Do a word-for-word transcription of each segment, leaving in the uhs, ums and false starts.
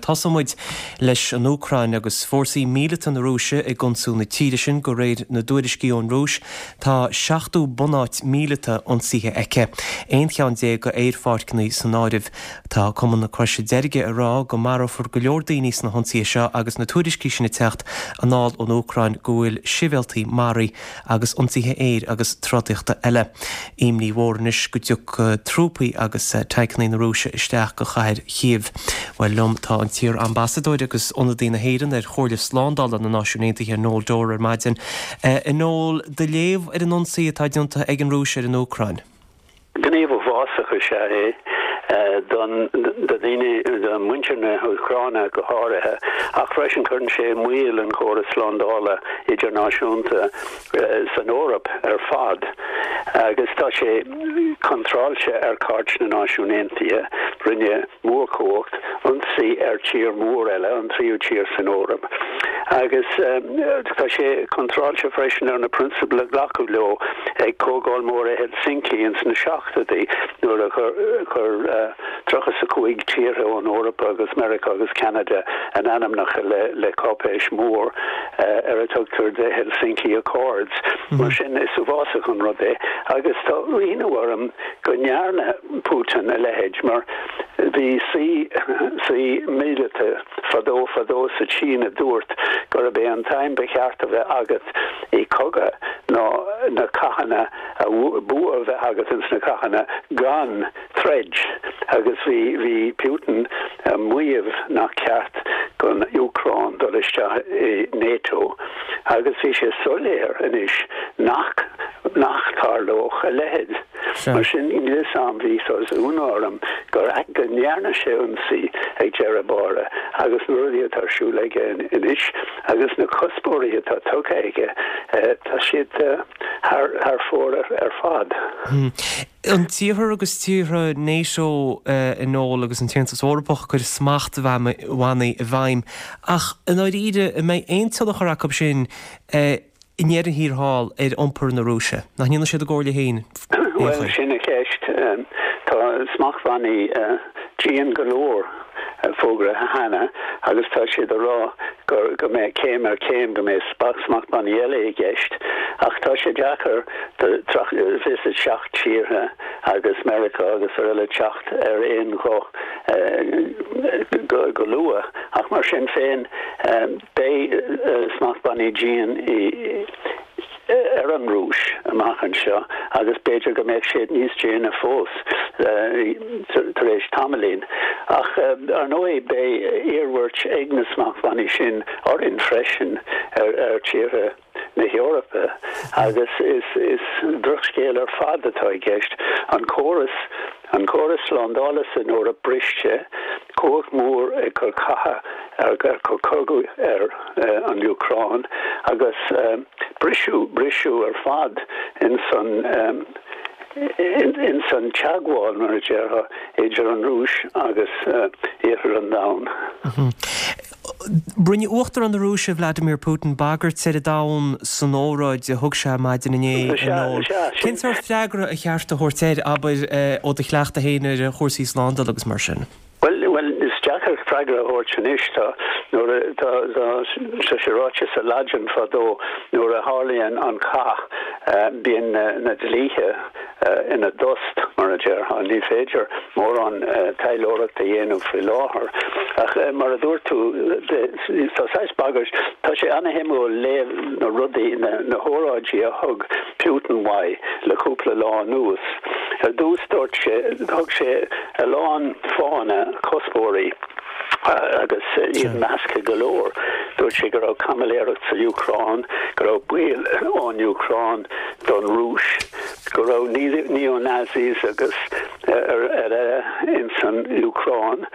Tosóidh muid leis an Úcráin agus fórsaí míleata na Rúise ag ionsú na tíre sin de réir na dtuairiscí ón Rúis tá seachtó bunáit míleata ionsaithe aici. Aon cheann déag d'aerpháirceanna san áireamh. Tá Cumann na Croise Deirge ag rá go marófar go leor daoine sna hionsaithe seo agus na tuairiscí sin ag teacht anall ón Úcráin go bhfuil sibhialtaigh maraithe agus ionsaithe aeir agus trodaíochta eile. Imní mhór anois go dtiocfaidh trúpaí agus tancanna na Rúise isteach go chathair Chív. Well liom tá an t-iar-ambasadóir agus ionadaí na hÉireann ar Chomhairle Slándála na Náisiún Aontaithe Noel Dorr ar maidin. A Noel do léamh ar an ionsaí atá déanta ag an Rúis ar an Úcráin. Gníomh uafásach is ea é don do daoine do muintir na hÚcráine go háirithe ach freisin cuireann sé i mbaol an córas slándála idirnáisiúnta san Eoraip ar fad agus tá sé contráilte ar Chairt na Náisiún Aontaithe rinne mórchumhacht ionsaí ar tír mór eile an tríú tír san Eoraip. Agus tá sé contráilte freisin ar na prionsabail a glacadh leo ag Comhdháil Mhór Helsinki ins na seachtóidí nuair a chuir tríocha a cúig tíortha ón Eoraip agus Meiriceá agus Canada a n-ainmneacha le le cáipéis mór ar a tugtar the Helsinki Accords. Mar sin is uafásach an rud é agus tá ionadh orm go ndearna Putin a leithéid mar bhí saoi saoi míleata fadó fadó sa tSín a dúirt gurb é an t-aidhm ba cheart a bheith agat i cogadh ná na cathanna a bua a bheith agat ins na cathanna gan troid agus bhí bhí Putin maíomh nach ceart don Úcráin dul isteach i NATO agus bhí sé soiléir anois nach nach dtarlódh a leithéid. Mar sin níl am bhí ionadh orm gur go ndearna sé ionsaí ag deireadh báire agus na rudaí atá ar siúl aige anois agus na cuspóirí atá tugtha aige tá siad thar fóir ar fad. Hmm. An tIarthar agus tíortha NATO a Noel agus an tAontas Eorpach chuir smachtbhannaí i bhfeidhm ach an dáiríre an mbeidh aon tionchar acu sin i ndeireadh thiar thall ar iompar na Rúise. Nach ndéanann siad a gcomhairle féin? Well sin an cheist tá smachtbhannaí dian go leor fógartha cheana agus tá siad a rá gur go mbeidh céim ar chéim go mbeidh smachtbhannaí eile i gceist ach tá sé deacair fiche seacht tíortha agus Meiriceá agus ar eile teacht ar aon ghuth go, go luath ach mar sin féin beidh smachtbhannaí dian i ar an Rúis amach anseo agus b'fhéidir go mbeidh siad níos déine fós tar éis tamaillín. Ach ar ndóigh beidh iarmhairt ag na smachtbhannaí sin orainn freisin ar ar tíortha na hEorpa agus is is drochscéal ar fad atá i gceist an córas an córas slándála san Eoraip briste cumhacht mór ag cur catha ar ar cur cogadh ar uh, an Úcráin agus um, briseadh briseadh ar fad in san um, in, in san teagmháil mar a déarfá idir an Rúis agus uh, iarthar an domhain. Mm -hmm. Rinne Uachtarán na Rúise Vladimir Putin bagairt ar an domhan san óráid a thug sé maidin inné. Cén sórt freagra a cheart a thabhairt air abair ó do chleachtadh féin ar chúrsaí slándála agus mar sin. Well well is deacair freagra a thabhairt anois tá nuair tá tá sé ráite sa Laidin fadó nuair a tharlaíonn an cath bíonn na dlíthe ina dtost mar a déarfá ní féidir mórán taidhleoireacht a dhéanamh faoi láthair ach mar a dúirt tú tá saghas bagairt tá sé an-shuimiúil léamh na rudaí na, na hóráidí a thug Putin uaidh le cúpla lá anuas. Ar dtús dúirt sé thug sé a lán fáthanna cuspóirí agus iad measctha go leor. Dúirt sé go raibh caimiléireacht sa Úcráin, go raibh baol ón Úcráin don Rúis, go raibh neo-Nazis agus ar ar in san Úcráin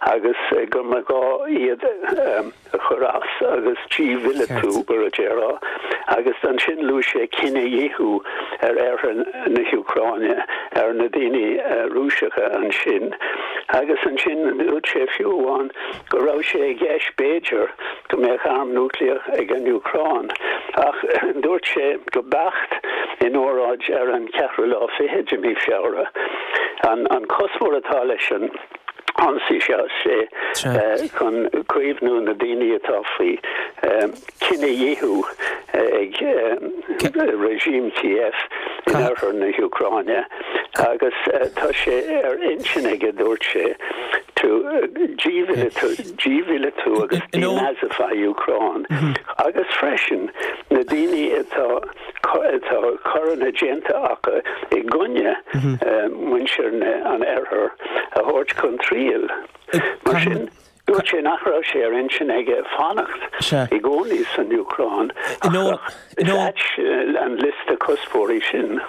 agus go mba ghá iad a chur as agus dímhíleatú mar a déarfá agus ansin luaigh sé cinedhíothú ar iarthar na hÚcráine ar na daoine Rúiseacha ansin agus ansin dúirt sé fiú amháin go raibh sé i gceist b'fhéidir go mbeadh arm núicléach ag an Úcráin ach dúirt sé go beacht in óráid ar an ceathrú lá fiche de mhí Feabhra. An, an cuspóir atá leis an Ionsaí sé chun caomhnú na daoine atá faoi cinedhíothú ag regime Kiev in oirthear na hÚcráine agus tá sé ar intinn aige dúirt sé to dímhíleatú agus denazify Úcráin agus freisin na daoine atá atá coireanna déanta acu i gcoinne muintir an oirthir a thabhairt chun triail. Mar sin dúirt sé nach raibh sé ar intinn aige fanacht i gcónaí san Úcráin an liosta cuspóirí sin.